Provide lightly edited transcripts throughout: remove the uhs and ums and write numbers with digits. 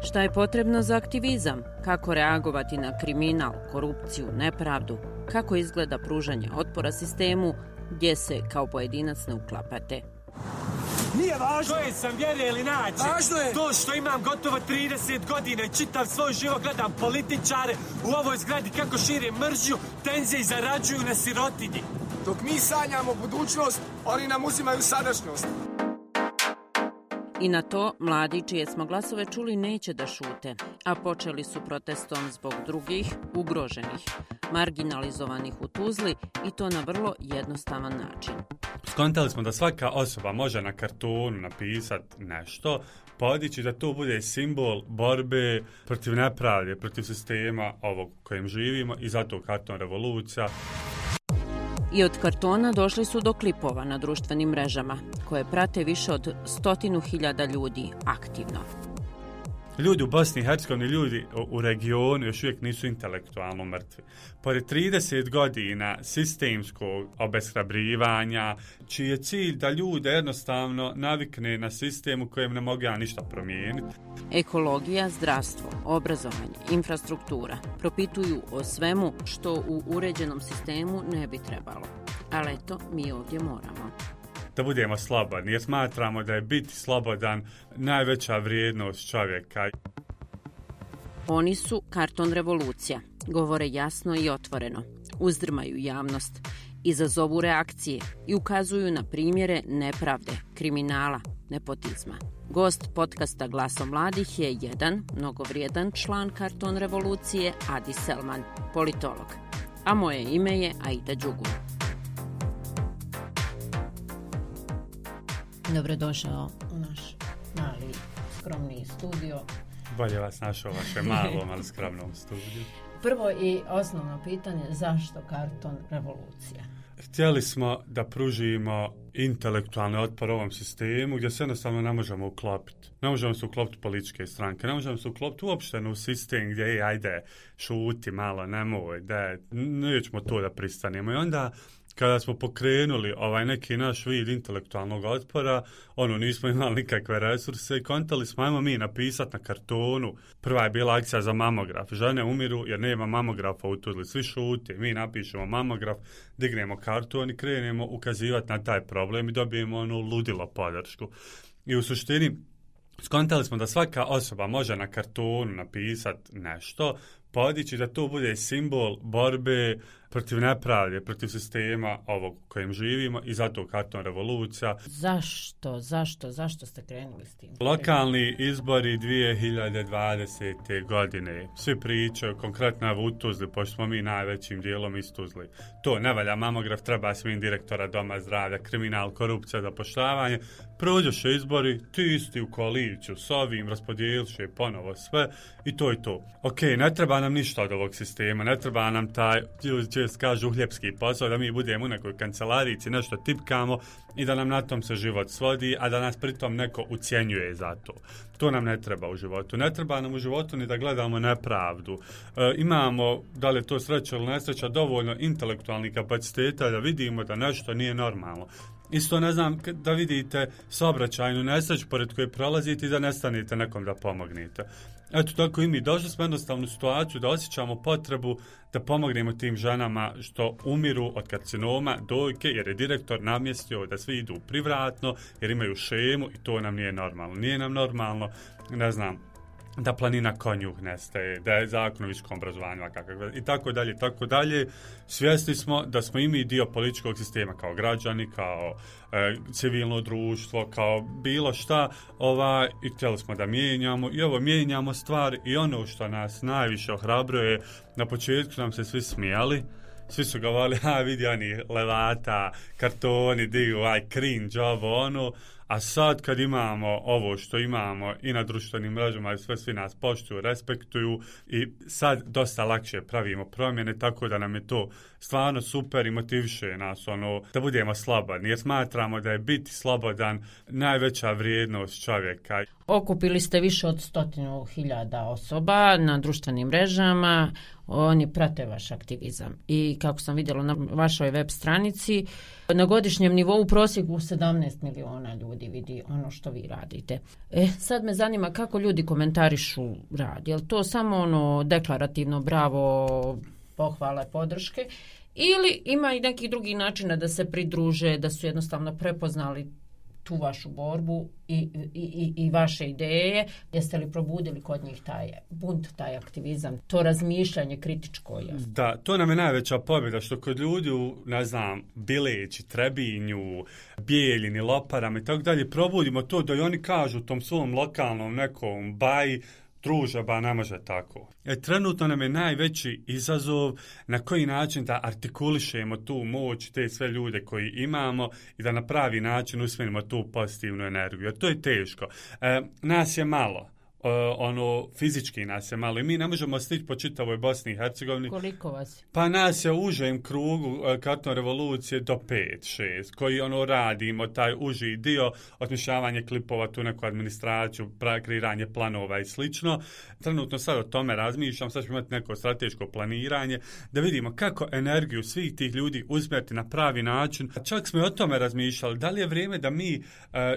Šta je potrebno za aktivizam? Kako reagovati na kriminal, korupciju, nepravdu? Kako izgleda pružanje otpora sistemu gdje se kao pojedinac ne uklapate? Nije važno. To je sam vjere ili nađe. Važno je. To što imam gotovo 30 godina i čitav svoj život gledam političare u ovoj zgradi kako šire mržnju, tenzije i zarađuju na sirotinji. Dok mi sanjamo budućnost, oni nam uzimaju sadašnjost. I na to mladi čije smo glasove čuli neće da šute, a počeli su protestom zbog drugih, ugroženih, marginalizovanih u Tuzli i to na vrlo jednostavan način. Skontali smo da svaka osoba može na kartonu napisati nešto, podići da to bude simbol borbe protiv nepravde, protiv sistema ovog kojem živimo i zato karton revolucija. I od kartona došli su do klipova na društvenim mrežama, koje prate više od 100.000 ljudi aktivno. Ljudi u Bosni i Hercegovini, ljudi u regionu još uvijek nisu intelektualno mrtvi. Pored 30 godina sistemskog obeshrabrivanja, čiji je cilj da ljude jednostavno navikne na sistem u kojem ne mogu ništa promijeniti. Ekologija, zdravstvo, obrazovanje, infrastruktura propituju o svemu što u uređenom sistemu ne bi trebalo. Ali eto, mi ovdje moramo. Da budemo slobodni, jer smatramo da je biti slobodan najveća vrijednost čovjeka. Oni su karton revolucija, govore jasno i otvoreno, uzdrmaju javnost, izazovu reakcije i ukazuju na primjere nepravde, kriminala, nepotizma. Gost podcasta Glasom mladih je jedan mnogovrijedan član karton revolucije, Adi Selman, politolog. A moje ime je Aida Đugur. Dobrodošao u naš mali, skromni studio. Bolje vas našao vaše malom, ali skromnom studiju. Prvo i osnovno pitanje, zašto karton revolucija? Htjeli smo da pružimo intelektualni otpor ovom sistemu gdje se jednostavno ne možemo uklopiti. Ne možemo se uklopiti političke stranke, ne možemo se uklopiti uopšte u sistem gdje ajde šuti malo, nemoj, nećemo to da pristanemo. I onda kada smo pokrenuli neki naš vid intelektualnog otpora, nismo imali nikakve resurse i kontali smo, ajmo mi napisati na kartonu. Prva je bila akcija za mamograf. Žene umiru jer nema mamografa u Tuzli. Svi šute, mi napišemo mamograf, dignemo karton i krenemo ukazivati na taj problem i dobijemo ludilo podršku. I u suštini skontali smo da svaka osoba može na kartonu napisati nešto, podići da to bude simbol borbe protiv nepravde, protiv sistema ovog kojem živimo i zato karton revolucija. Zašto ste krenuli s tim? Lokalni izbori 2020. godine. Svi pričaju, konkretno u Tuzli, pošto smo mi najvećim dijelom iz Tuzli. To ne valja mamograf, treba svim direktora doma zdravlja, kriminal, korupcija, zapošljavanje. Prođoše izbori, ti isti u koaliciju s ovim, raspodijeliše ponovo sve i to je to. Ok, ne treba nam ništa od ovog sistema, ne treba nam taj, čest kažu, uhljepski posao, da mi budemo u nekoj kancelarici, nešto tipkamo i da nam na tom se život svodi, a da nas pritom neko ucjenjuje za to. To nam ne treba u životu. Ne treba nam u životu ni da gledamo nepravdu. Imamo, da li je to sreća ili nesreća, dovoljno intelektualnih kapaciteta da vidimo da nešto nije normalno. Isto ne znam da vidite saobraćajnu nesreću pored koje prolazite i da nestanete nekom da pomognete. Eto tako i mi došli smo jednostavnu situaciju da osjećamo potrebu da pomognemo tim ženama što umiru od karcinoma dojke jer je direktor namjestio da svi idu privatno jer imaju šemu i to nam nije normalno. Nije nam normalno, ne znam, da planina konjuh nestaje, da je zakon o visokom obrazovanju i tako dalje. Svjesni smo da smo i mi dio političkog sistema kao građani, kao civilno društvo, kao bilo šta, i htjeli smo da mijenjamo i mijenjamo stvari i ono što nas najviše ohrabruje, na početku nam se svi smijali. Svi su govorili, vidi oni levata, kartoni, cringe, a sad kad imamo ovo što imamo i na društvenim mrežama i svi nas poštuju, respektuju i sad dosta lakše pravimo promjene, tako da nam je to stvarno super i motiviše nas da budemo slobodni, jer smatramo da je biti slobodan najveća vrijednost čovjeka. Okupili ste više od 100.000 osoba na društvenim mrežama, oni prate vaš aktivizam i kako sam vidjela na vašoj web stranici, na godišnjem nivou u prosjeku 17 miliona ljudi ljudi vidi ono što vi radite. Sad me zanima kako ljudi komentarišu rad. Je li to samo ono deklarativno bravo, pohvale, podrške, ili ima i nekih drugih načina da se pridruže, da su jednostavno prepoznali tu vašu borbu i vaše ideje? Jeste li probudili kod njih taj bunt, taj aktivizam, to razmišljanje kritičko? Da, to nam je najveća pobjeda, što kod ljudi u, ne znam, Bileći, Trebinju, Bijeljini, Loparama i tako dalje, probudimo to da i oni kažu tom svom lokalnom nekom baji, druže, ba ne može tako. Trenutno nam je najveći izazov na koji način da artikulišemo tu moć, te sve ljude koji imamo i da na pravi način usmjerimo tu pozitivnu energiju. Jer to je teško. Nas je malo. Fizički nas je malo i mi ne možemo stići po čitavoj Bosni i Hercegovini. Koliko vas je? Pa nas je u užem krugu Karton revolucije do 5-6, koji radimo, taj uži dio, osmišljavanje klipova, tu neku administraciju, kreiranje planova i slično. Trenutno sad o tome razmišljam, sad ćemo imati neko strateško planiranje, da vidimo kako energiju svih tih ljudi usmjeriti na pravi način. Čak smo i o tome razmišljali, da li je vrijeme da mi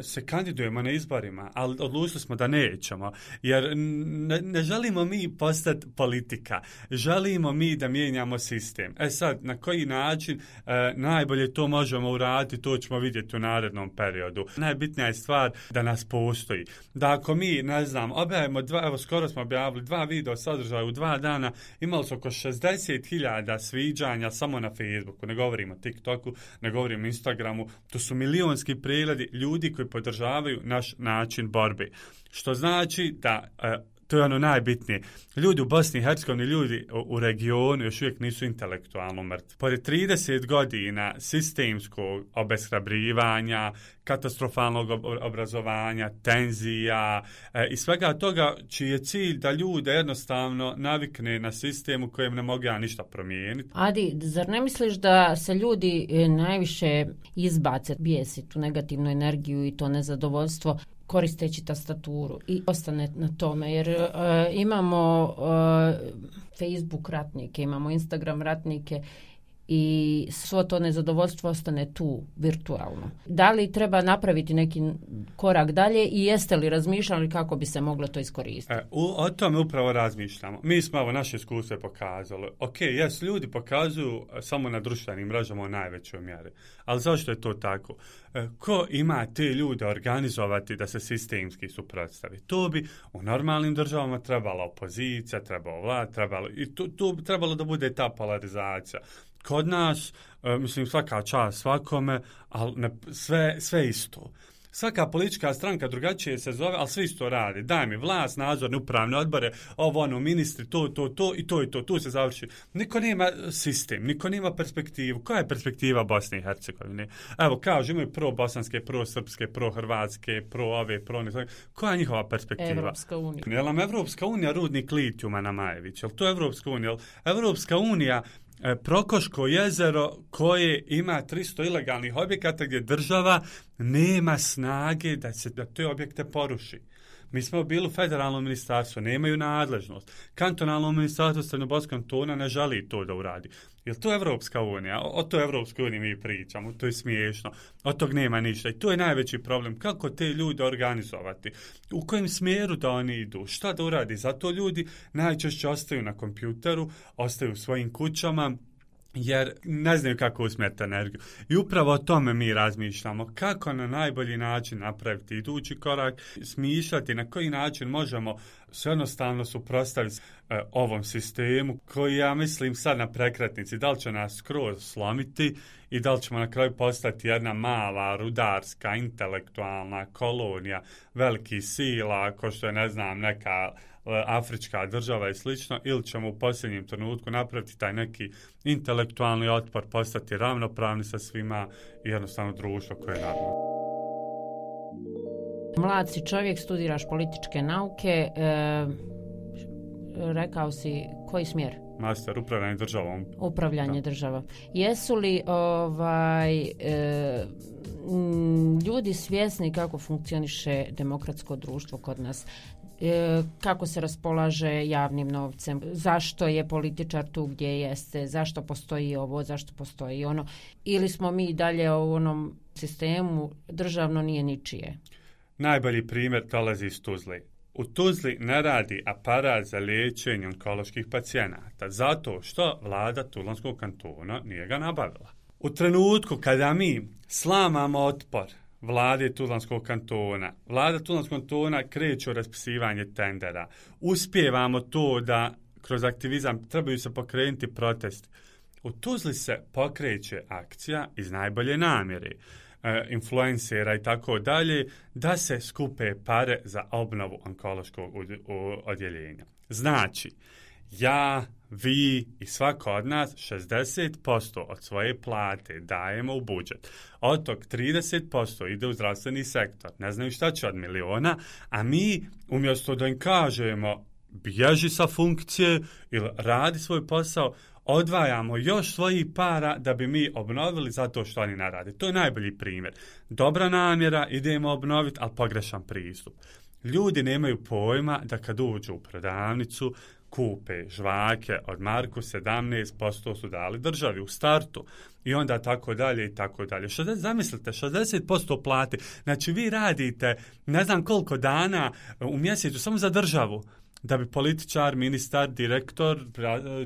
se kandidujemo na izborima, ali odlučili smo da nećemo. Jer ne želimo mi postati politika, želimo mi da mijenjamo sistem. Sad, na koji način najbolje to možemo uraditi, to ćemo vidjeti u narednom periodu. Najbitnija je stvar da nas postoji. Da ako mi, ne znam, objavimo skoro smo objavili 2 video sadržaja u 2 dana, imali su oko 60.000 sviđanja samo na Facebooku, ne govorimo o TikToku, ne govorimo o Instagramu, to su milionski pregledi ljudi koji podržavaju naš način borbe. Što znači da, to je ono najbitnije, ljudi u Bosni i Hercegovini, ljudi u regionu još uvijek nisu intelektualno mrtvi. Pored 30 godina sistemskog obeshrabrivanja, katastrofalnog obrazovanja, tenzija i svega toga, čiji je cilj da ljude jednostavno navikne na sistem u kojem ne mogu ja ništa promijeniti. Adi, zar ne misliš da se ljudi najviše izbace, bijesi tu negativnu energiju i to nezadovoljstvo koristeći tastaturu i ostane na tome, jer imamo Facebook ratnike, imamo Instagram ratnike i svo to nezadovoljstvo ostane tu virtualno. Da li treba napraviti neki korak dalje i jeste li razmišljali kako bi se moglo to iskoristiti? O tome upravo razmišljamo. Mi smo ovo naše iskustvo pokazali. Ljudi pokazuju samo na društvenim mrežama u najvećoj mjeri. Ali zašto je to tako? Ko ima te ljude organizovati da se sistemski suprotstavi? To bi u normalnim državama trebala opozicija, trebala vlad, tu bi trebalo da bude ta polarizacija. Kod nas, svaka čast svakome, ali sve isto. Svaka politička stranka drugačije se zove, ali sve isto radi. Daj mi vlast, nadzorne, upravne odbore, ministri, to i to, tu se završi. Niko nema sistem, niko nema perspektivu. Koja je perspektiva Bosne i Hercegovine? Evo, kažu, imaju pro-bosanske, pro-srpske, pro-hrvatske, pro-ove, pro-ne. Koja je njihova perspektiva? Evropska unija. Je li nam Evropska unija rudnik litijuma na Majević? Je li to Evropska unija? Evropska unija Prokoško jezero koje ima 300 ilegalnih objekata gdje država nema snage da te objekte poruši. Mi smo bili u federalnom ministarstvu, nemaju nadležnost. Kantonalno ministarstvo Srednjobolskog kantona ne želi to da uradi. Jer to je Evropska unija? O toj Evropskoj uniji mi pričamo, to je smiješno. Od tog nema ništa. I to je najveći problem. Kako te ljude organizovati? U kojem smjeru da oni idu? Šta da uradi? Zato ljudi najčešće ostaju na kompjuteru, ostaju u svojim kućama, jer ne znaju kako usmjeriti energiju. I upravo o tome mi razmišljamo. Kako na najbolji način napraviti idući korak, smišljati na koji način možemo se jednostavno suprotstaviti ovom sistemu koji, ja mislim, sad na prekretnici, da li će nas skroz slomiti i da li ćemo na kraju postati jedna mala, rudarska, intelektualna kolonija velikih sila, ko što je, ne znam, neka afrička država i slično, ili ćemo u posljednjem trenutku napraviti taj neki intelektualni otpor, postati ravnopravni sa svima i jednostavno društvo koje je normalno. Mlad si čovjek, studiraš političke nauke, rekao si koji smjer? Master, upravljanje državom. Upravljanje državom. Jesu li ljudi svjesni kako funkcioniše demokratsko društvo kod nas? Kako se raspolaže javnim novcem, zašto je političar tu gdje jeste, zašto postoji ovo, zašto postoji ono, ili smo mi dalje u onom sistemu državno nije ničije. Najbolji primjer dolazi iz Tuzli. U Tuzli ne radi aparat za liječenje onkoloških pacijenata, zato što vlada Tuzlanskog kantona nije ga nabavila. U trenutku kada mi slamamo otpor vlade Tuzlanskog kantona, vlada Tuzlanskog kantona kreće u raspisivanje tendera. Uspijevamo to da kroz aktivizam trebaju se pokrenuti protesti. U Tuzli se pokreće akcija iz najbolje namjere, influencera i tako dalje, da se skupe pare za obnovu onkološkog odjeljenja. Znači, ja, vi i svako od nas 60% od svoje plate dajemo u budžet. Od tog 30% ide u zdravstveni sektor. Ne znaju šta će od miliona, a mi umjesto da im kažemo bježi sa funkcije ili radi svoj posao, odvajamo još svojih para da bi mi obnovili zato što oni ne rade. To je najbolji primjer. Dobra namjera, idemo obnoviti, ali pogrešan pristup. Ljudi nemaju pojma da kad uđu u prodavnicu, kupe žvake od marku, 17% su dali državi u startu. I onda tako dalje i tako dalje. Zamislite, 60% plate. Znači vi radite ne znam koliko dana u mjesecu samo za državu, da bi političar, ministar, direktor,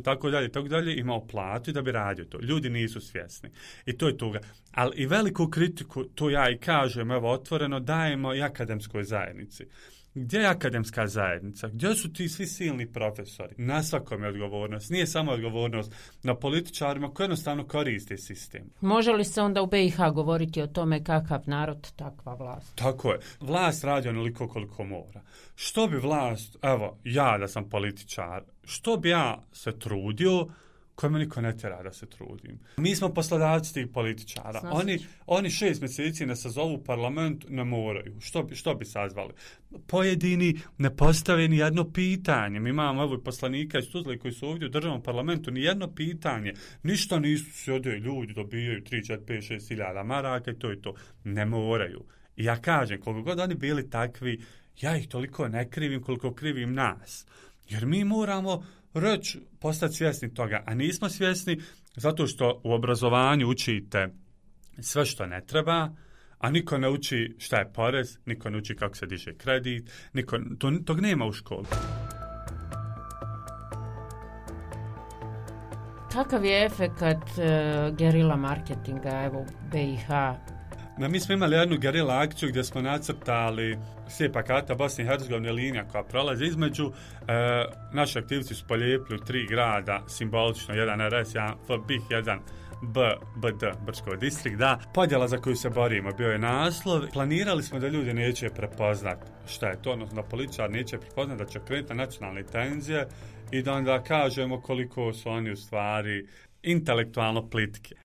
tako dalje, imao platu i da bi radio to. Ljudi nisu svjesni. I to je tuga. Ali i veliku kritiku, to ja i kažem, evo otvoreno, dajemo i akademskoj zajednici. Gdje je akademska zajednica? Gdje su ti svi silni profesori? Na svakom je odgovornost. Nije samo odgovornost na političarima koji jednostavno koriste sistem. Može li se onda u BiH govoriti o tome kakav narod, takva vlast? Tako je. Vlast radi onoliko koliko mora. Što bi vlast, evo, ja da sam političar, što bi ja se trudio, koje me niko ne tjera da se trudim. Mi smo poslodavci tih političara. Oni 6 mjeseci ne sazovu parlament, ne moraju. Što bi sazvali? Pojedini ne postave ni jedno pitanje. Mi imamo evo poslanika iz Tuzle koji su ovdje u državnom parlamentu, ni jedno pitanje. Ništa nisu sjede, ljudi dobijaju 3, 4, 5, 6 hiljada maraka i to je to. Ne moraju. I ja kažem, koliko god oni bili takvi, ja ih toliko ne krivim koliko krivim nas. Jer mi moramo reći, postati svjesni toga, a nismo svjesni zato što u obrazovanju učite sve što ne treba, a niko ne uči šta je porez, niko ne uči kako se diže kredit, tog nema u školi. Kakav je efekat gerila marketinga evo BiH? Mi smo imali jednu gerila akciju gdje smo nacrtali slijepa karta Bosne i Hercegovine, linija koja prolazi između. Naši aktivci su polijepili 3 grada, simbolično, jedan RS, jedan FBIH, jedan BD, Brčko distrikt, da. Podjela za koju se borimo bio je naslov. Planirali smo da ljudi neće prepoznat šta je to, odnosno da političar neće prepoznat, da će krenuti nacionalne tenzije i da onda kažemo koliko su oni u stvari intelektualno plitke.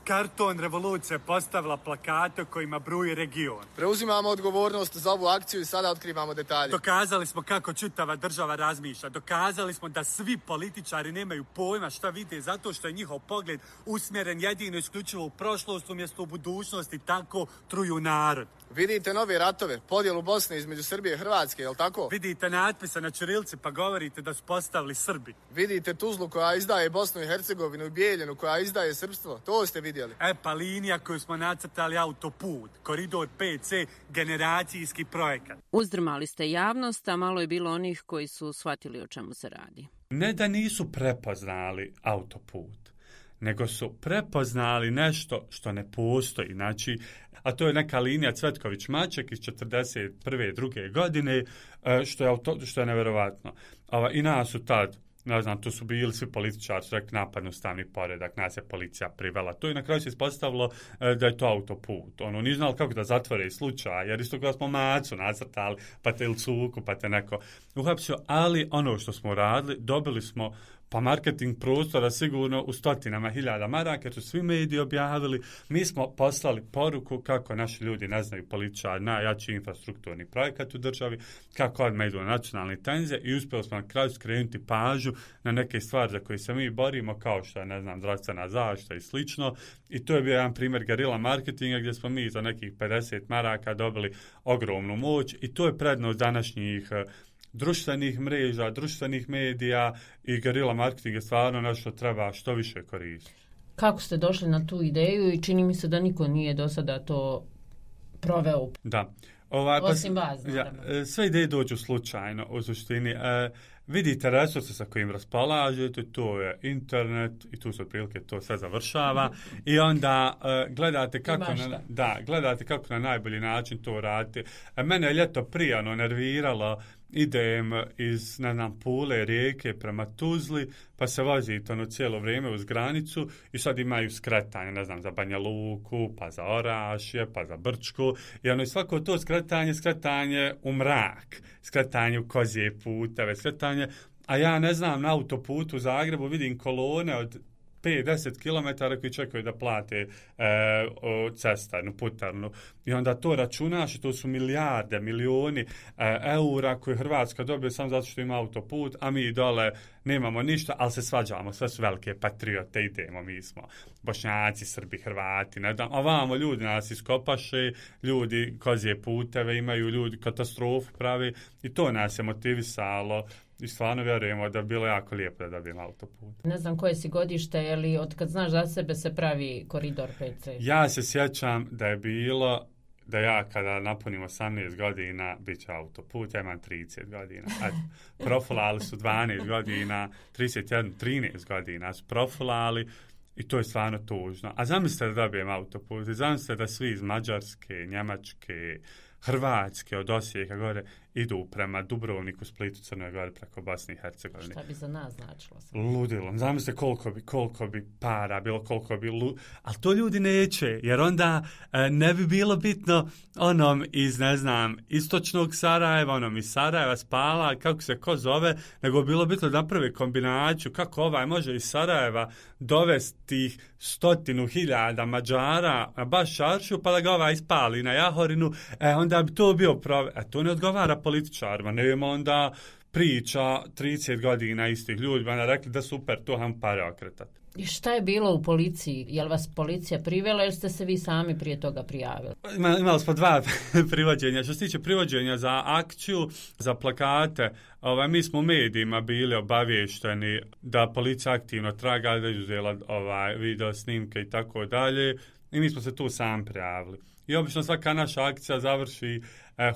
Karton revolucija postavila plakate kojima bruji region. Preuzimamo odgovornost za ovu akciju i sada otkrivamo detalje. Dokazali smo kako čitava država razmišlja. Dokazali smo da svi političari nemaju pojma šta vide zato što je njihov pogled usmjeren jedino isključivo u prošlost umjesto u budućnosti, tako truju narod. Vidite nove ratove, podjelu Bosne između Srbije i Hrvatske, jel tako? Vidite natpise na ćirilci pa govorite da su postavili Srbi. Vidite Tuzlu koja izdaje Bosnu i Hercegovinu i Bijeljinu koja izdaje srpstvo, to ste vidjeli. Pa linija koju smo nacrtali autoput, koridor 5C, generacijski projekat. Uzdrmali ste javnost, a malo je bilo onih koji su shvatili o čemu se radi. Ne da nisu prepoznali autoput, nego su prepoznali nešto što ne postoji. Znači, a to je neka linija Cvetković-Maček iz 41. druge godine, što je nevjerovatno. I nas su tad, ne znam, tu su bili svi političari, su rekli napadnu ustavni poredak, nas je policija privela. To i na kraju se ispostavilo da je to autoput. Nije znali kako da zatvore slučaj, jer isto kada smo Macu nacrtali, pa te ili Cuku, pa te neko uhapsio, ali ono što smo radili, dobili smo pa marketing prostora sigurno u stotinama hiljada maraka, jer su svi mediji objavili. Mi smo poslali poruku kako naši ljudi ne znaju političari najjači infrastrukturni projekat u državi, kako odmah idu na nacionalne tenzije i uspjeli smo na kraju skrenuti pažnju na neke stvari za koje se mi borimo, kao što je, ne znam, zdravstvena zaštita i slično. I to je bio jedan primjer gerila marketinga gdje smo mi za nekih 50 maraka dobili ogromnu moć i to je prednost današnjih društvenih mreža, društvenih medija i gerila marketing je stvarno nešto treba što više koristiti. Kako ste došli na tu ideju i čini mi se da niko nije do sada to proveo? Da. Osim vas, naravno. Sve ideje dođu slučajno, u suštini. Vidite resurse sa kojim raspolažete, to je internet i tu se otprilike to sve završava i onda gledate kako na najbolji način to radite. Mene je ljeto prije nerviralo, idem iz, Pule, Rijeke prema Tuzli, pa se vozite cijelo vrijeme uz granicu i sad imaju skretanje, za Banja Luku, pa za Orašje, pa za Brčku i svako to skretanje u mrak, skretanje u kozije puteve, skretanje, a ja na autoputu u Zagrebu vidim kolone od 5-10 km koji čekaju da plate cestarnu, putarnu. I onda to računaš i to su milijarde, milioni eura koje Hrvatska dobije samo zato što ima autoput, a mi dole nemamo ništa, ali se svađamo, sve su velike patriote, idemo, mi smo Bošnjaci, Srbi, Hrvati, ovamo ljudi nas iskopaše, ljudi kozije puteve imaju, ljudi katastrofu pravi i to nas je motivisalo. I stvarno vjerujemo da bi bilo jako lijepo da dobijemo autoput. Ne znam koje si godište, ili od kad znaš za sebe se pravi koridor 5C? Ja se sjećam da je bilo da ja kada napunim 18 godina bit će autoput, ja imam 30 godina. Profilali su 12 godina, 31, 13 godina su profilali i to je stvarno tužno. A zamislite da dobijem autoput, zamislite da svi iz Mađarske, Njemačke, Hrvatske, od Osijeka gore, idu prema Dubrovniku, Splitu, Crnoj Gori, preko Bosne i Hercegovine. Šta bi za nas značilo? Ludilo. Zamislite koliko bi para bilo, ali to ljudi neće, jer onda ne bi bilo bitno onom iz, istočnog Sarajeva, onom iz Sarajeva, Spala, kako se ko zove, nego bilo bitno da napravi kombinaciju kako ovaj može iz Sarajeva dovesti tih 100.000 Mađara na baš Šaršu, pa da ga ovaj ispali na Jahorinu, onda bi to bio to ne odgovara političarima, nema onda priča 30 godina istih ljudi, onda rekli da super, to ham pare okretati. I šta je bilo u policiji? Je li vas policija privela ili ste se vi sami prije toga prijavili? Imali smo 2 privođenja. Što se tiče privođenja za akciju, za plakate, mi smo u medijima bili obavješteni da policija aktivno traga, da je uzela video snimke i tako dalje i mi smo se tu sami prijavili. I obično svaka naša akcija završi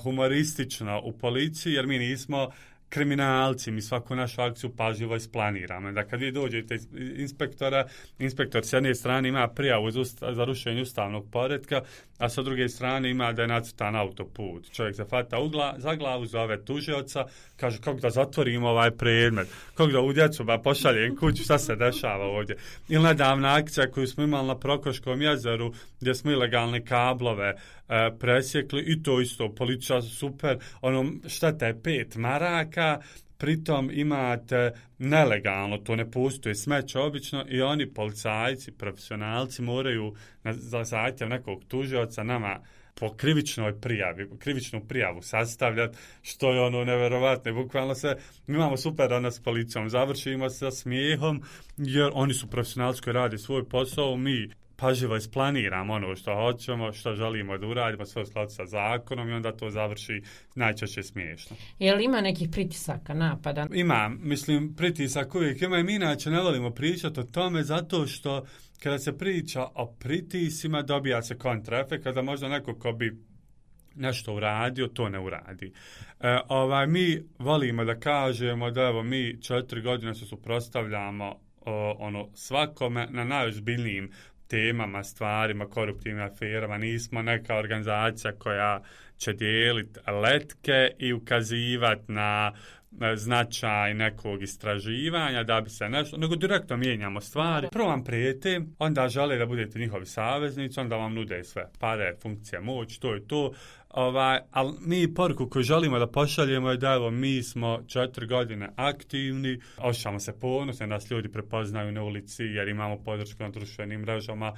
humoristično u policiji, jer mi nismo kriminalci, mi svaku našu akciju pažljivo isplaniramo. Da kad vi dođete inspektor s jedne strane ima prijavu za rušenje ustavnog poretka, a sa druge strane ima da je nacrtan autoput. Čovjek se hvata za glavu, zove tužioca, kaže kako da zatvorimo ovaj predmet, kako da u djecu pošaljem kuću, šta se dešava ovdje. Ili nedavna akcija koju smo imali na Prokoškom jezeru, gdje smo ilegalne kablove presjekli i to isto, policija super, šteta je 5 maraka, pritom imate nelegalno, to ne postoji smeće obično i oni policajci, profesionalci moraju za zahtjev nekog tužioca nama po krivičnu prijavu sastavljati, što je neverovatno. Bukvalno mi imamo super s policijom, završimo sa smijehom, jer oni su profesionalci koji rade svoj posao, mi pažljivo isplaniramo ono što hoćemo, što želimo da uradimo, sve u skladu sa zakonom i onda to završi najčešće smiješno. Je li ima nekih pritisaka, napada? Ima, pritisak uvijek ima i mi inače ne volimo pričati o tome zato što kada se priča o pritisima dobija se kontraefekt, kada možda neko ko bi nešto uradio, to ne uradi. Mi volimo da kažemo da mi 4 godine se suprotstavljamo svakome na najozbiljnijim temama, stvarima, koruptivnim aferama. Nismo neka organizacija koja će dijeliti letke i ukazivati na značaj nekog istraživanja da bi se nešto, nego direktno mijenjamo stvari. Prvo vam prijete, onda žele da budete njihovi saveznici, onda vam nude sve pare, funkcije, moć, to je to. Ali mi poruku koju želimo da pošaljemo je da mi smo 4 godine aktivni, osjećamo se ponosno, nas ljudi prepoznaju na ulici jer imamo podršku na društvenim mrežama.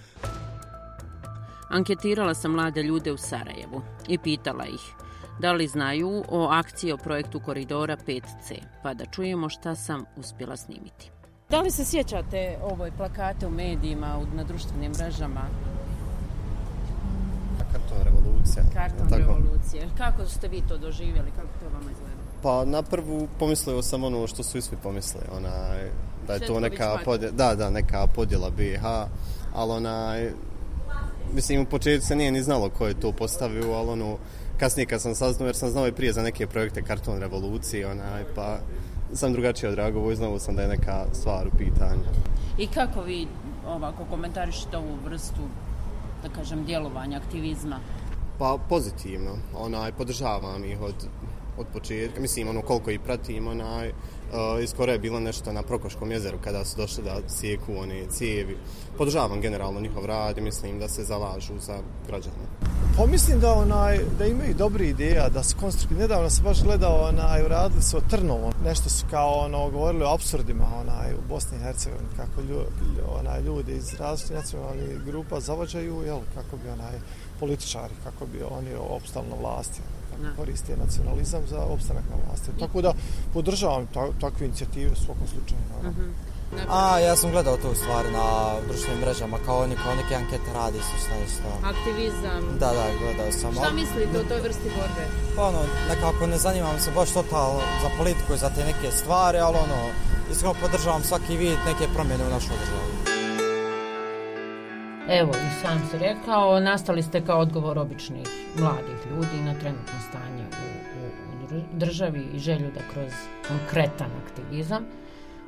Anketirala sam mlade ljude u Sarajevu i pitala ih da li znaju o akciji o projektu Koridora 5C, pa da čujemo šta sam uspjela snimiti. Da li se sjećate ovoj plakate u medijima, na društvenim mrežama? Karton revolucija. Revolucija. Kako ste vi to doživjeli? Kako to vama izgleda? Pa na prvu pomislio sam ono što su i svi pomislili. Da je to neka podjela BiH. ali mislim u početku se nije ni znalo ko je to postavio, ali kasnije kad sam saznao, jer sam znao i prije za neke projekte Karton revolucije, pa sam drugačije odreagovao i znao sam da je neka stvar u pitanju. I kako vi ovako komentarišete ovu vrstu, da kažem, djelovanja, aktivizma? Pa pozitivno, podržavam ih od početka, mislim koliko ih pratim, iskoro je bilo nešto na Prokoškom jezeru kada su došli da sjeku one cijevi. Podržavam generalno njihov rad i mislim da se zalažu za građane. Pa mislim da imaju dobre ideja, da su konstruktivni. Nedavno sam baš gledao, uradili su o Trnovom. Nešto su kao govorili o apsurdima u Bosni i Hercegovini, kako ljudi iz različitih nacionalnih grupa zavađaju, kako bi političari, kako bi oni opstali na vlasti, kako koriste nacionalizam za opstanak na vlasti. Tako da podržavam takve inicijative u svakom slučaju. Ja sam gledao tu stvari na društvenim mrežama, kao neke ankete radi su isto. Aktivizam. Da, gledao sam. Šta mislite o toj vrsti borbe? Pa nekako ne zanimam se baš totalno za politiku i za te neke stvari, ali iskreno podržavam svaki vid neke promjene u našoj državi. Evo, i sam si rekao, nastali ste kao odgovor običnih mladih ljudi na trenutno stanje u državi i želju da kroz konkretan aktivizam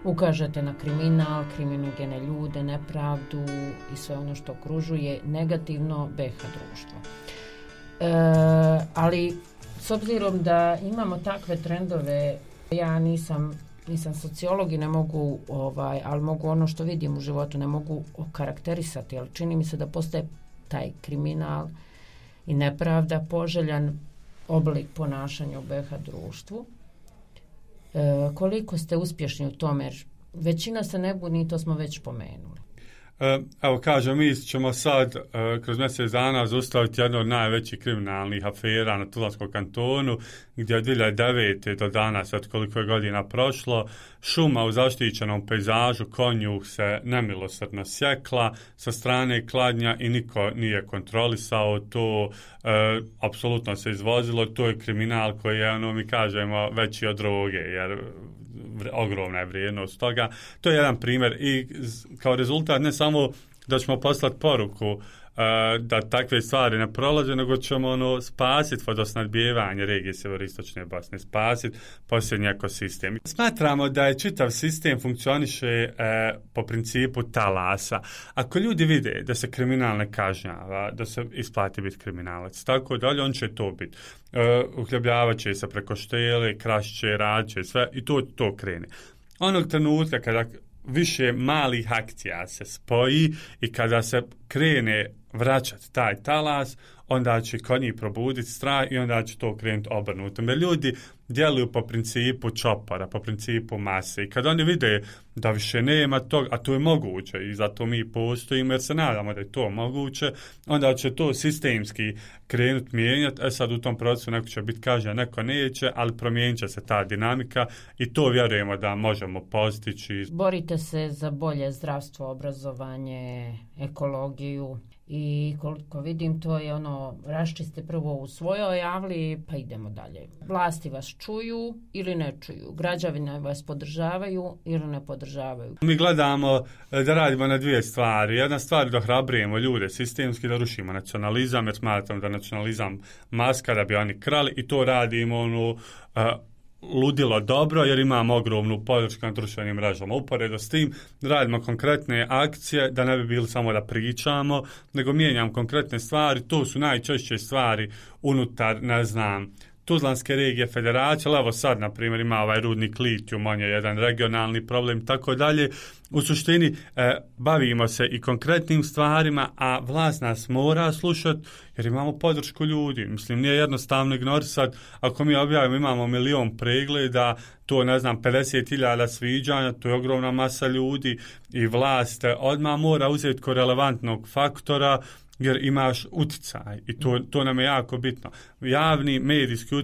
ukažete na kriminal, kriminogene ljude, nepravdu i sve ono što okružuje negativno BiH društvo. Ali s obzirom da imamo takve trendove, ja nisam sociolog i ne mogu, ali mogu ono što vidim u životu, ne mogu okarakterisati, ali čini mi se da postaje taj kriminal i nepravda poželjan oblik ponašanja u BiH društvu. Koliko ste uspješni u tome, jer većina se ne buni, to smo već pomenuli. Evo kažem, mi ćemo sad kroz mjesec dana zaustaviti jednu od najvećih kriminalnih afera na Tuzlanskom kantonu, gdje od 2009. do danas, od koliko je godina prošlo, šuma u zaštićenom pejzažu Konjuh se nemilosrdno sjekla sa strane Kladnja i niko nije kontrolisao to, apsolutno se izvozilo, to je kriminal koji je, mi kažemo, veći od droge, jer ogromna je vrijednost toga. To je jedan primjer i kao rezultat ne samo da ćemo poslati poruku da takve stvari ne prolaze, nego ćemo spasiti vodosnadbijevanje regije sjeveroistočne Bosne, spasiti posljednji ekosistem. Smatramo da je čitav sistem funkcioniše po principu talasa. Ako ljudi vide da se kriminal ne kažnjava, da se isplati biti kriminalac, tako dalje, on će to biti. Uhljebljavat će se preko štele, krašće, radće, sve i to krene. Onog trenutka kada više malih akcija se spoji i kada se krene vraćati taj talas, onda će kod njih probuditi strah i onda će to krenuti obrnuto. Jer ljudi djeluju po principu čopora, po principu mase i kad oni vide da više nema toga, a to je moguće i zato mi postojimo jer se nadamo da je to moguće, onda će to sistemski krenuti mijenjati. Sad u tom procesu neko će biti kažnjen, neko neće, ali promijenit će se ta dinamika i to vjerujemo da možemo postići. Borite se za bolje zdravstvo, obrazovanje, ekologiju. I koliko vidim, to je raščiste prvo u svojoj javli, pa idemo dalje. Vlasti vas čuju ili ne čuju. Građani vas podržavaju ili ne podržavaju. Mi gledamo da radimo na dvije stvari. Jedna stvar da ohrabrujemo ljude sistemski, da rušimo nacionalizam, jer smatram da nacionalizam maska da bi oni krali i to radimo ludilo dobro jer imamo ogromnu podršku na društvenim mrežama. Uporedo s tim radimo konkretne akcije da ne bi bili samo da pričamo, nego mijenjamo konkretne stvari. To su najčešće stvari unutar, Tuzlanske regije federacije, ali evo sad, na primjer, ima ovaj rudnik litijum, on je jedan regionalni problem, tako dalje. U suštini, bavimo se i konkretnim stvarima, a vlast nas mora slušati, jer imamo podršku ljudi. Mislim, nije jednostavno ignorisati, ako mi objavimo, imamo 1.000.000 pregleda, to, 50.000 sviđanja, to je ogromna masa ljudi i vlast odmah mora uzeti ko relevantnog faktora, jer imaš utjecaj i to nam je jako bitno. Javni medijski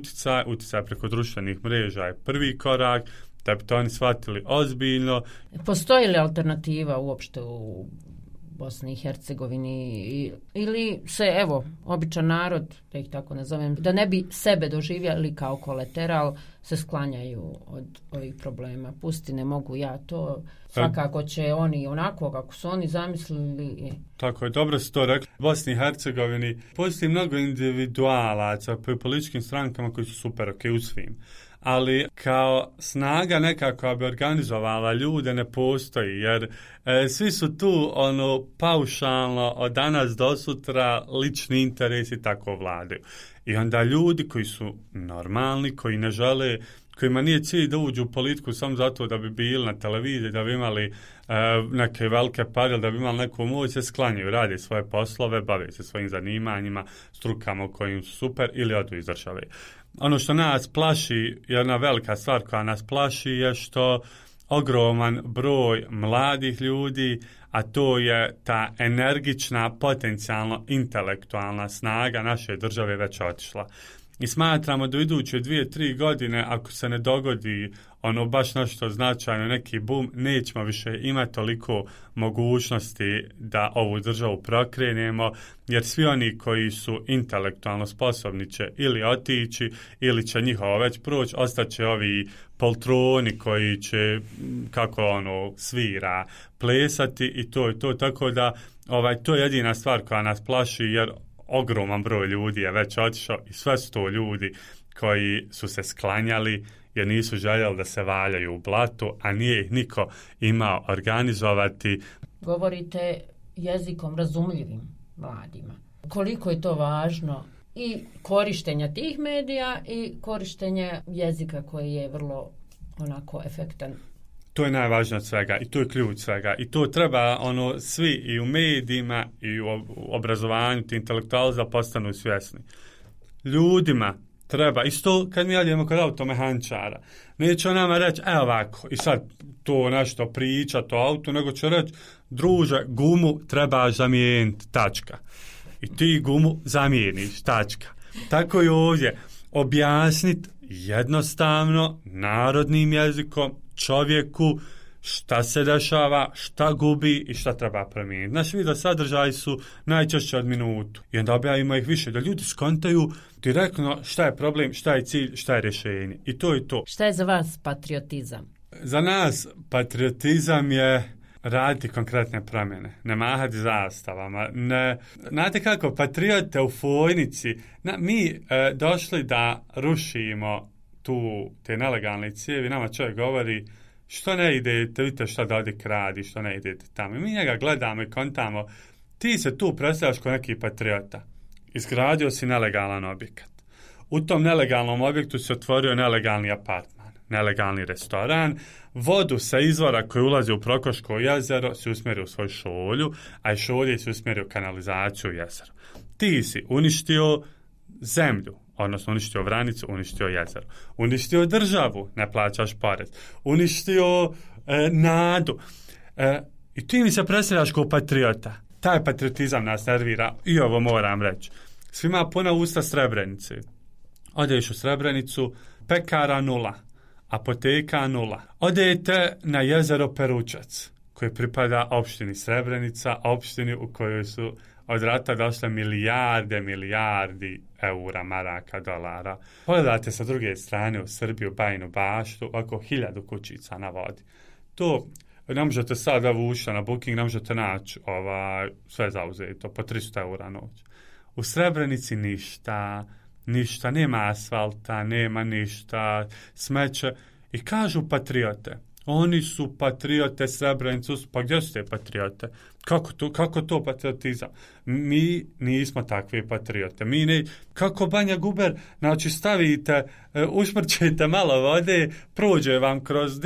utjecaj preko društvenih mreža je prvi korak da bi to oni shvatili ozbiljno. Postoji li alternativa uopšte u Bosni i Hercegovini ili se, evo, običan narod, da ih tako nazovem, da ne bi sebe doživjeli kao kolateral, se sklanjaju od ovih problema. Pusti, ne mogu ja to, svakako će oni onako kako su oni zamislili. Tako je, dobro si to rekli. U Bosni i Hercegovini postoji mnogo individualaca pri političkim strankama koji su super ok u svim. Ali kao snaga nekako bi organizovala ljude ne postoji, jer svi su tu paušalno od danas do sutra lični interesi tako vladaju. I onda ljudi koji su normalni, koji ne žele, kojima nije cilj da uđu u politiku samo zato da bi bili na televiziji, da bi imali neke velike pare, da bi imali neku moć, se sklanjaju, rade svoje poslove, bave se svojim zanimanjima, strukama u kojim su super ili odu iz države. Ono što nas plaši, jedna velika stvar koja nas plaši je što ogroman broj mladih ljudi, a to je ta energična, potencijalno intelektualna snaga naše države već otišla. I smatramo da u iduće 2-3 godine, ako se ne dogodi baš nešto značajno, neki boom, nećemo više imati toliko mogućnosti da ovu državu prokrenemo, jer svi oni koji su intelektualno sposobni će ili otići, ili će njihovo već proći, ostaće ovi poltroni koji će, kako svira, plesati i to je to. Tako da to je jedina stvar koja nas plaši, jer ogroman broj ljudi je već otišao i sve su to ljudi koji su se sklanjali jer nisu željeli da se valjaju u blatu, a nije ih niko imao organizovati. Govorite jezikom razumljivim mladima. Koliko je to važno i korištenja tih medija i korištenja jezika koji je vrlo efektan. To je najvažnije od svega i to je ključ svega i to treba svi i u medijima i u obrazovanju, ti intelektualci da postanu svjesni. Ljudima treba, isto kad mi odemo kod automehančara, neće on nama reći, ovako, i sad to nešto pričati o autu, nego će reći, druže, gumu trebaš zamijeniti, tačka. I ti gumu zamijeniš, tačka. Tako i ovdje, objasniti jednostavno, narodnim jezikom, čovjeku, šta se dešava, šta gubi i šta treba promijeniti. Naši video sadržaji su najčešće od minutu. I onda objavimo ih više, da ljudi skontaju direktno šta je problem, šta je cilj, šta je rješenje. I to je to. Šta je za vas patriotizam? Za nas patriotizam je raditi konkretne promjene, ne mahati zastavama. Znate kako, patriote u Fojnici, mi došli da rušimo te nelegalne cijevi, nama čovjek govori što ne idete, vidite što Dodik radi, što ne idete tamo. I mi njega gledamo i kontamo, ti se tu predstavljaš kao neki patriota. Izgradio si nelegalan objekat. U tom nelegalnom objektu se otvorio nelegalni apartman, nelegalni restoran, vodu sa izvora koji ulazi u Prokoško jezero se usmjerio u svoju šolju, a iz šolje se usmjerio kanalizaciju u jezero. Ti si uništio zemlju, odnosno uništio Vranicu, uništio jezero, uništio državu, ne plaćaš porez, uništio nadu. I ti mi se predstavljaš kao patriota. Taj patriotizam nas nervira i ovo moram reći. Svima puna usta Srebrenice. Odeš u Srebrenicu, pekara 0, apoteka 0. Odete na jezero Peručac, koji pripada opštini Srebrenica, opštini u kojoj su od rata došle milijardi eura, maraka, dolara. Pogledate sa druge strane u Srbiju, Bajinu Baštu, oko 1000 kućica na vodi. To ne možete sada vući na Booking, ne možete naći sve zauzeto, po 300 eura noć. U Srebrenici ništa, nema asfalta, nema ništa, smeće. I kažu patriote, oni su patriote Srebrenicu, pa gdje su te patriote? Kako to patriotizam? Mi nismo takve patriote. Kako Banja Guber, znači stavite, ušmrčite malo vode, prođe vam kroz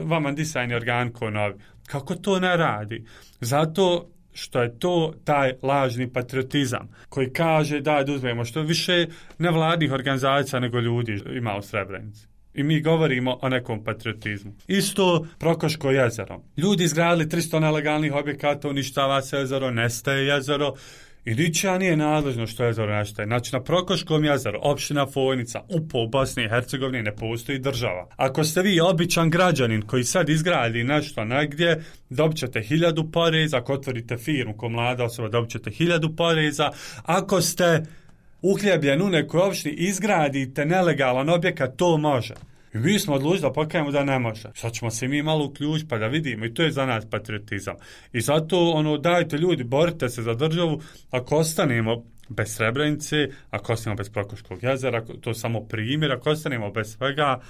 vama disajni organ ko novi. Kako to ne radi? Zato što je to taj lažni patriotizam koji kaže da uzmemo što više nevladnih organizacija nego ljudi ima u Srebrenici. I mi govorimo o nekom patriotizmu. Isto Prokoško jezero. Ljudi izgradili 300 nelegalnih objekata, uništava se jezero, nestaje jezero I ničija nije nadležno što jezero nestaje. Znači, na Prokoškom jezeru, opština Fojnica, u Bosni i Hercegovini ne postoji država. Ako ste vi običan građanin koji sad izgradi nešto negdje, dobit ćete 1000 poreza. Ako otvorite firmu ko mlada osoba, dobit ćete 1000 poreza. Ako ste uhljebljen u nekoj opštini, izgradite nelegalan objekat, to može. I mi smo odlučili da pokajemo da ne može. Sad ćemo se mi malo uključiti pa da vidimo, i to je za nas patriotizam. I zato dajte ljudi, borite se za državu. Ako ostanemo bez Srebrenice, ako ostanemo bez Prokoškog jezera, to je samo primjer, ako ostanemo bez svega,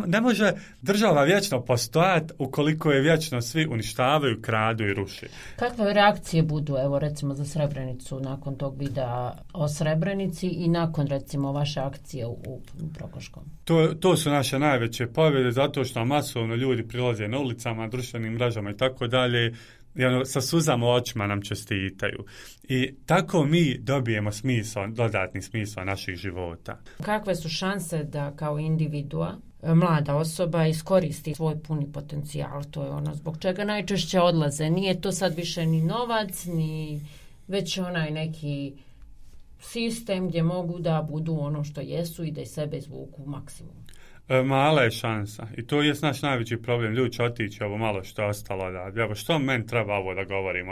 ne može država vječno postojati ukoliko je vječno svi uništavaju, kradu i ruši. Kakve reakcije budu, evo recimo za Srebrenicu, nakon tog videa o Srebrenici i nakon recimo vaše akcije u Prokoškom? To su naše najveće pobjede, zato što masovno ljudi prilaze na ulicama, društvenim mrežama i tako dalje, i sa suzama u očima nam čestitaju. I tako mi dobijemo dodatni smisao naših života. Kakve su šanse da kao individua, mlada osoba, iskoristi svoj puni potencijal? To je ono zbog čega najčešće odlaze. Nije to sad više ni novac, ni već onaj neki sistem gdje mogu da budu ono što jesu i da iz sebe izvuku maksimum. Mala je šansa. I to je naš najveći problem. Ljudi će otići ovo malo što je ostalo da. Evo, što meni treba ovo da govorim?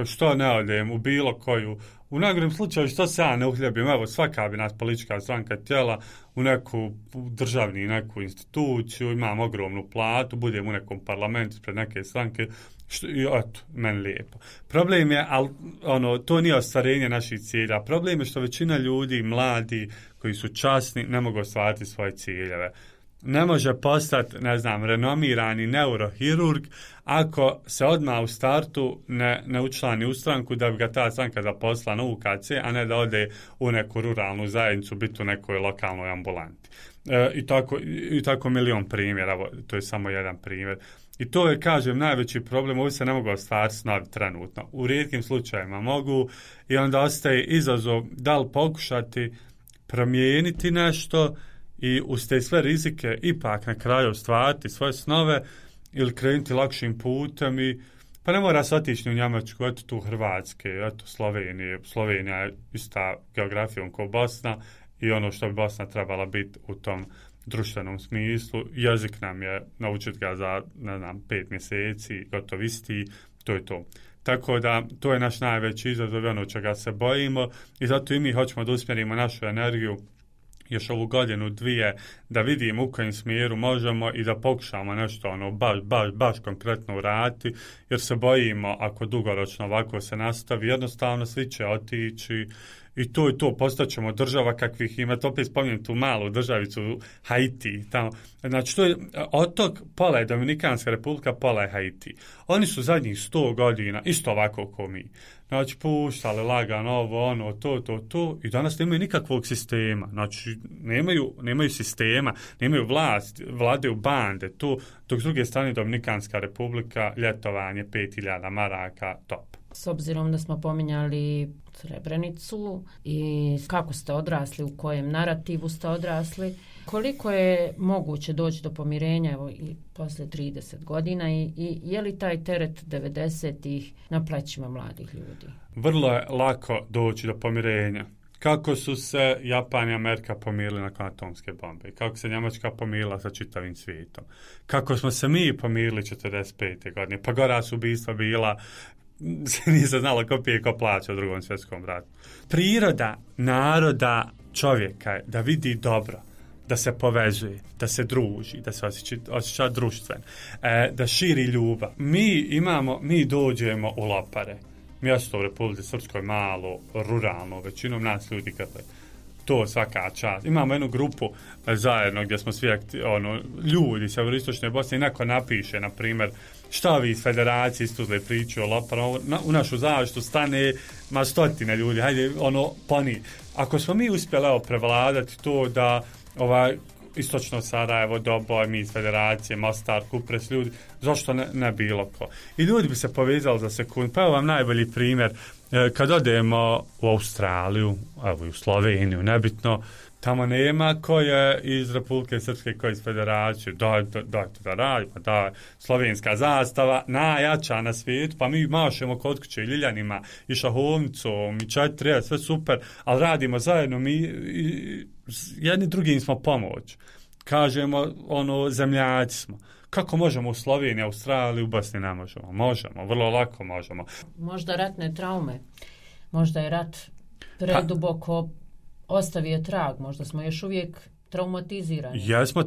Što ne odem u bilo koju... U najgorem slučaju što se ja ne uhljebim? Evo, svaka bi nas politička stranka htjela u neku neku instituciju, imam ogromnu platu, budem u nekom parlamentu pred neke stranke, i eto, meni lijepo. Problem je, to nije ostvarenje naših cilja. Problem je što većina ljudi, mladi, koji su časni, ne mogu ostvariti svoje ciljeve. Ne može postati, renomirani neurohirurg ako se odmah u startu ne učlani u stranku da bi ga ta stranka zaposlila na UKC, a ne da ode u neku ruralnu zajednicu, biti u nekoj lokalnoj ambulanti. I tako milion primjera, to je samo jedan primjer. I to je, kažem, najveći problem. Ovi se ne mogu ostvariti snovi trenutno. U rijetkim slučajevima mogu, i onda ostaje izazov da li pokušati promijeniti nešto i uz te sve rizike ipak na kraju ostvariti svoje snove ili krenuti lakšim putem. Pa ne mora se otići u Njemačku, eto tu Hrvatske, eto Slovenije. Slovenija je ista geografijom kao Bosna i ono što bi Bosna trebala biti u tom društvenom smislu. Jezik nam je naučiti ga za 5 mjeseci, gotovo isti, to je to. Tako da to je naš najveći izazov, ono čega se bojimo, i zato i mi hoćemo da usmjerimo našu energiju još ovu godinu, 2, da vidimo u kojem smjeru možemo i da pokušamo nešto baš konkretno uraditi, jer se bojimo ako dugoročno ovako se nastavi, jednostavno svi će otići. I to je to, postaćemo država kakvih ima, to opet spominjem tu malu državicu Haiti. Tamo. Znači, to je otok, pola je Dominikanska republika, pola je Haiti. Oni su zadnjih 100 godina isto ovako kao mi. Znači, puštali lagano ovo, to, i danas nemaju nikakvog sistema. Znači, nemaju sistema, nemaju vlast, vladaju bande, to, dok s druge strane Dominikanska republika, ljetovanje, 5000 maraka, top. S obzirom da smo pominjali Srebrenicu i kako ste odrasli, u kojem narativu ste odrasli, koliko je moguće doći do pomirenja evo, i posle 30 godina i je li taj teret 90-ih na plećima mladih ljudi? Vrlo je lako doći do pomirenja. Kako su se Japan i Amerika pomirili nakon atomske bombe, kako se Njemačka pomirila sa čitavim svijetom, kako smo se mi pomirili 45. godine, pa gora su ubistva bila, nije se znalo ko pije, ko plaća u Drugom svjetskom ratu. Priroda naroda čovjeka je da vidi dobro, da se povezuje, da se druži, da se osjeća društven, da širi ljubav. Mi dođemo u Lopare, mjesto u Republici Srpskoj, malo, ruralno, većinom nas ljudi grle. To svaka čast. Imamo jednu grupu zajedno gdje smo svi ljudi iz Sjeveroistočne Bosne i neko napiše, na primjer, šta vi iz federacije istuzle pričaju o Loparu, u našu zaštitu stane stotine ljudi, hajde, poni. Ako smo mi uspjeli prevladati to da istočno Sarajevo, Doboj, mi iz federacije, Mostar, Kupres, ljudi, zašto ne bilo ko? I ljudi bi se povezali za sekund. Pa evo vam najbolji primjer, kad odemo u Australiju, evo i u Sloveniju, nebitno, Tamo nema ko je iz Republike Srpske, ko je iz Federacije. Dajte da radi, pa da slovenska zastava najjača na svijetu, pa mi mašemo kod kuće i Ljiljanima i šahovnicom i 4, sve super, ali radimo zajedno, mi jedni drugim smo pomoć. Kažemo, zemljaci smo. Kako možemo u Sloveniji, Australiji, u Bosni ne možemo? Možemo, vrlo lako možemo. Možda ratne traume, možda je rat preduboko ostavio trag, možda smo još uvijek traumatizirani. Jesmo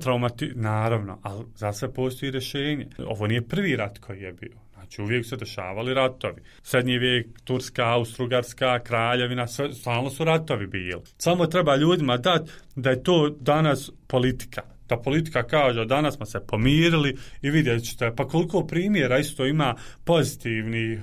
naravno, ali za sve postoji rješenje. Ovo nije prvi rat koji je bio. Znači, uvijek se dešavali ratovi. Srednji vijek, Turska, Austro-Ugarska, Kraljevina, stalno su ratovi bili. Samo treba ljudima dati da je to danas politika. Da politika kaže, danas smo se pomirili i vidjet ćete, pa koliko primjera isto ima pozitivnih,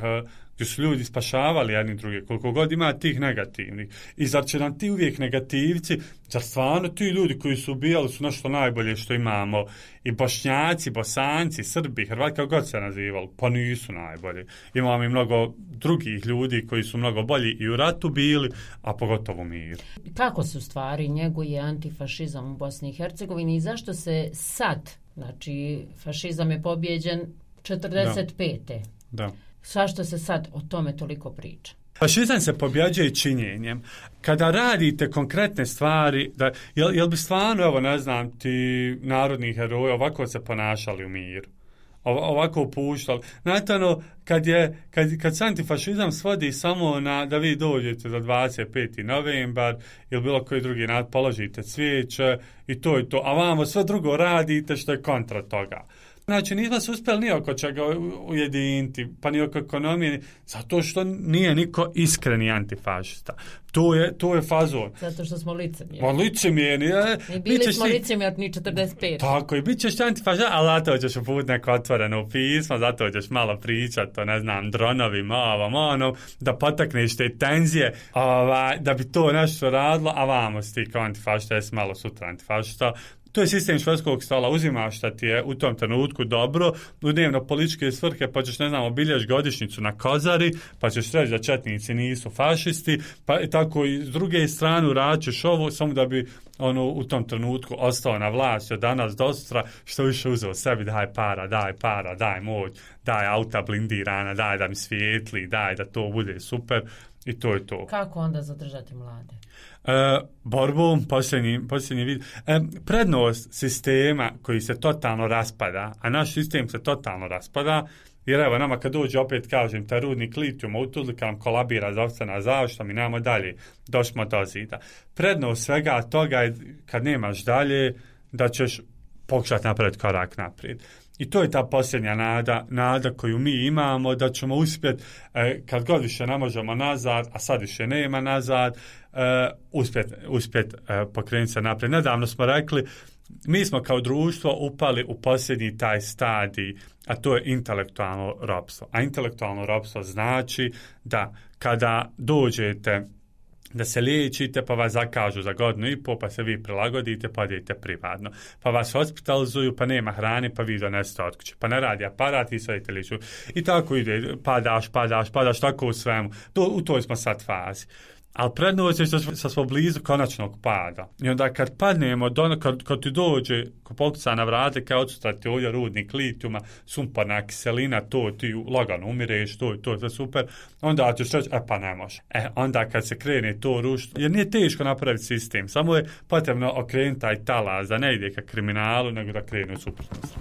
gdje su ljudi spašavali jedni druge, koliko god ima tih negativnih. I zar će nam ti uvijek negativci, zar stvarno ti ljudi koji su ubijali su nešto najbolje što imamo, i Bošnjaci, Bosanci, Srbi, Hrvati, kako god se nazivali, pa nisu najbolji. Imamo i mnogo drugih ljudi koji su mnogo bolji i u ratu bili, a pogotovo u miru. Kako se u stvari njeguje antifašizam u Bosni i Hercegovini i zašto se sad, znači fašizam je pobjeđen 45. Da. Zašto se sad o tome toliko priča? Fašizam se pobjeđuje činjenjem. Kada radite konkretne stvari, jel bi stvarno, evo ne znam, ti narodni heroji ovako se ponašali u miru? Ovako upuštali. Znate, kad se antifašizam svodi samo na da vi dođete za 25. novembar ili bilo koji drugi položite cvijeće i to je to, a vamo sve drugo radite što je kontra toga. Znači, nismo se uspjeli ni oko čega ujediniti, pa ni oko ekonomije, zato što nije niko iskreni antifašista. To je fazon. Zato što smo licemjerni. Pa licemjerni. I bili smo licemjerni 45. Tako, i bit ćeš antifašista, ali zato ćeš uput neko otvoreno pismo, zato ćeš malo pričati o, ne znam, dronovima, da potakneš te tenzije, da bi to nešto radilo, a vamo si ti kao antifašista, jesi malo sutra antifašista. To je sistem švedskog stola, uzimaš šta ti je u tom trenutku dobro, u dnevno političke svrhe, pa ćeš, ne znam, obilješ godišnjicu na Kozari, pa ćeš reći da četnici nisu fašisti, pa tako i s druge strane uraćeš ovo, samo da bi u tom trenutku ostao na vlasti od danas do sutra, što više uzeo sebi, daj para, daj moć, daj auta blindirana, daj da mi svijetli, daj da to bude super, i to je to. Kako onda zadržati mlade? Borbom, posljednji vid. Prednost sistema koji se totalno raspada, a naš sistem se totalno raspada, jer evo nama kad dođe, opet kažem, taj rudnik litijuma u Tuzli, kad nam kolabira zdravstvena zaštita, mi nemamo dalje, došmo do zida. Prednost svega toga je, kad nemaš dalje, da ćeš pokušati napraviti korak naprijed. I to je ta posljednja nada koju mi imamo, da ćemo uspjeti, kad god više ne možemo nazad, a sad više nema nazad, uspjet pokrenuti se naprijed. Nedavno smo rekli, mi smo kao društvo upali u posljednji taj stadij, a to je intelektualno ropstvo. A intelektualno ropstvo znači da kada dođete da se liječite, pa vas zakažu za 1.5 godinu, pa se vi prilagodite, pa idete privatno. Pa vas hospitalizuju, pa nema hrane, pa vi donesete od kuće. Pa ne radi aparat i sve idete liječu. I tako ide, padaš, tako u svemu. U toj smo sad fazi. Ali prednost je što smo blizu konačnog pada. I onda kad padnemo, kad ti dođe, ko pokuca na vrate, kao odsutra ti ovdje rudnik litijuma, sumporna kiselina, to ti lagano umireš, to je sve super, onda ćeš reći, pa ne može. Onda kad se krene to rušiti, jer nije teško napraviti sistem, samo je potrebno okrenuti taj talas, da ne ide ka kriminalu, nego da krene u suprotnost.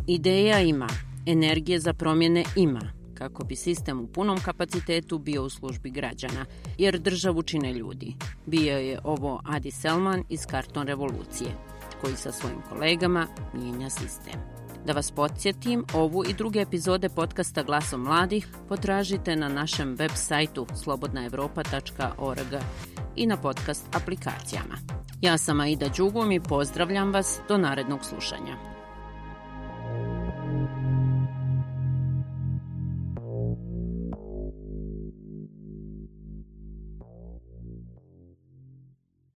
Ideja ima. Energije za promjene ima, kako bi sistem u punom kapacitetu bio u službi građana, jer državu čine ljudi. Bio je ovo Adi Selman iz Karton revolucije, koji sa svojim kolegama mijenja sistem. Da vas podsjetim, ovu i druge epizode podcasta Glasom mladih potražite na našem web sajtu slobodnaevropa.org i na podcast aplikacijama. Ja sam Aida Đugum i pozdravljam vas do narednog slušanja.